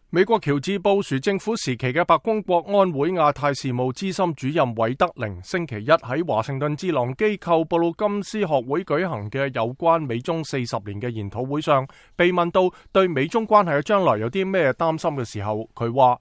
美國喬治布殊政府時期嘅白宮國安會亞太事務資深主任韋德寧星期一喺華盛頓智囊機構布魯金斯學會舉行嘅有關美中40年嘅研討會上，被問到對美中關係嘅將來有啲咩擔心嘅時候，佢話：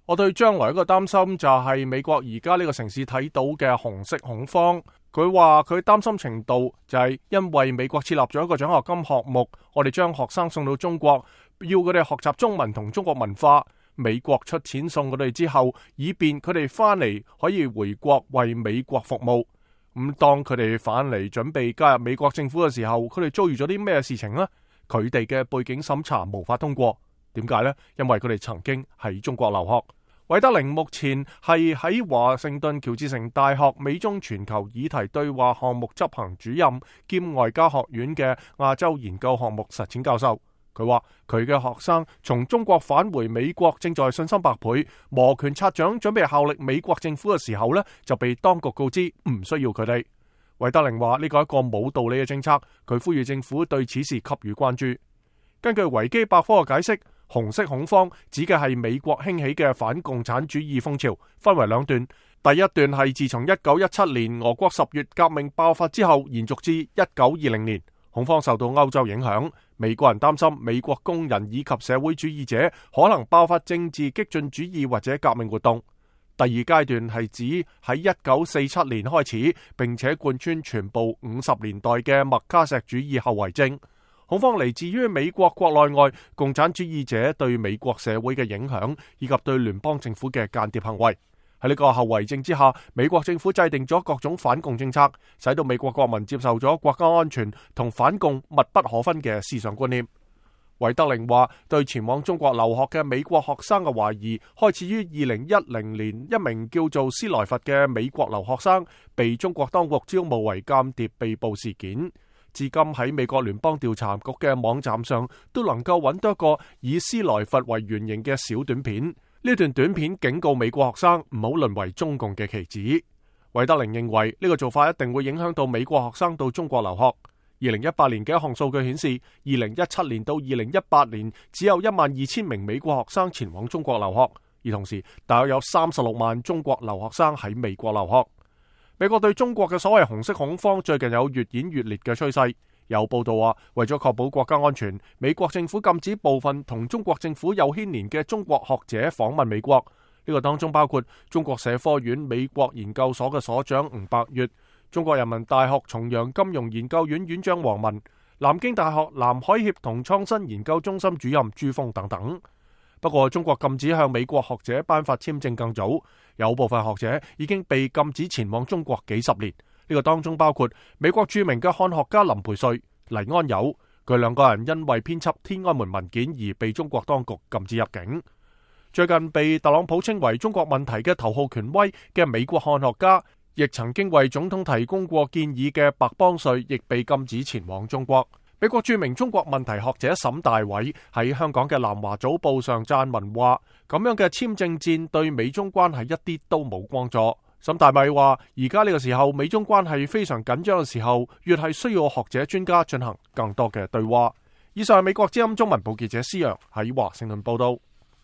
我對將來一個擔心就係美國而家呢個城市睇到嘅紅色恐慌。佢話佢擔心程度就係因為美國設立咗一個獎學金項目，我哋將學生送到中國，要佢哋學習中文同中國文化。美國出錢送佢哋之後，以便佢哋翻嚟可以回國為美國服務。咁當佢哋返嚟準備加入美國政府嘅時候，佢哋遭遇咗啲咩事情呢？佢哋嘅背景審查無法通過，點解呢？因為佢哋曾經喺中國留學。韋德寧目前係喺華盛頓喬治城大學美中全球議題對話項目執行主任兼外交學院嘅亞洲研究項目實踐教授。佢話佢嘅學生從中國返回美國，正在信心百倍，摩拳擦掌準備效力美國政府嘅時候呢，就被當局告知唔需要佢哋。韋德寧話呢個係一個冇道理嘅政策，佢呼籲政府對此事給予關注。根據維基百科嘅解釋，紅色恐慌指嘅係美國興起嘅反共產主義風潮，分為兩段。第一段係自從1917年俄國10月革命爆發之後，延續至1920年。恐慌受到歐洲影響，美國人擔心美國工人以及社會主義者可能爆發政治激進主義或者革命活動。第二階段係指喺1947年開始，並且貫穿全部50年代嘅麥卡錫主義後遺症。恐慌嚟自於美國國內外共產主義者對美國社會嘅影響，以及對聯邦政府嘅間諜行為。喺呢個後遺症之下，美國政府制定咗各種反共政策，使到美國國民接受咗國家安全同反共密不可分嘅思想觀念。韋德寧話，對前往中國留學嘅美國學生嘅懷疑，開始於2010年一名叫做斯萊佛嘅美國留學生被中國當局招募為間諜被捕事件。至今喺美國聯邦調查局嘅網站上都能夠揾到一個以斯萊佛為原型嘅小短片。呢段短片警告美國學生唔好淪為中共嘅棋子。韋德寧認為呢個做法一定會影響到美國學生到中國留學。2018年嘅一項數據顯示，2017年到2018年只有12000名美國學生前往中國留學，而同時大約有36萬中國留學生喺美國留學。美國對中國嘅所謂紅色恐慌最近有越演越烈嘅趨勢。有報道話，為咗確保國家安全，美國政府禁止部分同中國政府有牽連嘅中國學者訪問美國。呢個當中包括中國社科院美國研究所嘅所長吳伯月、中國人民大學重陽金融研究院院長王文、南京大學南海協同創新研究中心主任朱峰等等。不過，中國禁止向美國學者頒發簽證更早，有部分學者已經被禁止前往中國幾十年。呢個當中包括美國著名嘅漢學家林培瑞、黎安友，佢兩個人因為編輯天安門文件而被中國當局禁止入境。最近被特朗普稱為中國問題嘅頭號權威嘅美國漢學家，亦曾經為總統提供過建議嘅白邦瑞，亦被禁止前往中國。美國著名中國問題學者沈大偉喺香港嘅南華早報上撰文話，咁樣嘅簽證戰對美中關係一啲都冇幫助。沈大偉話，而家呢個時候美中關係非常緊張嘅時候，越係需要學者專家進行更多嘅對話。以上係美國之音中文部記者施洋喺華盛頓報道。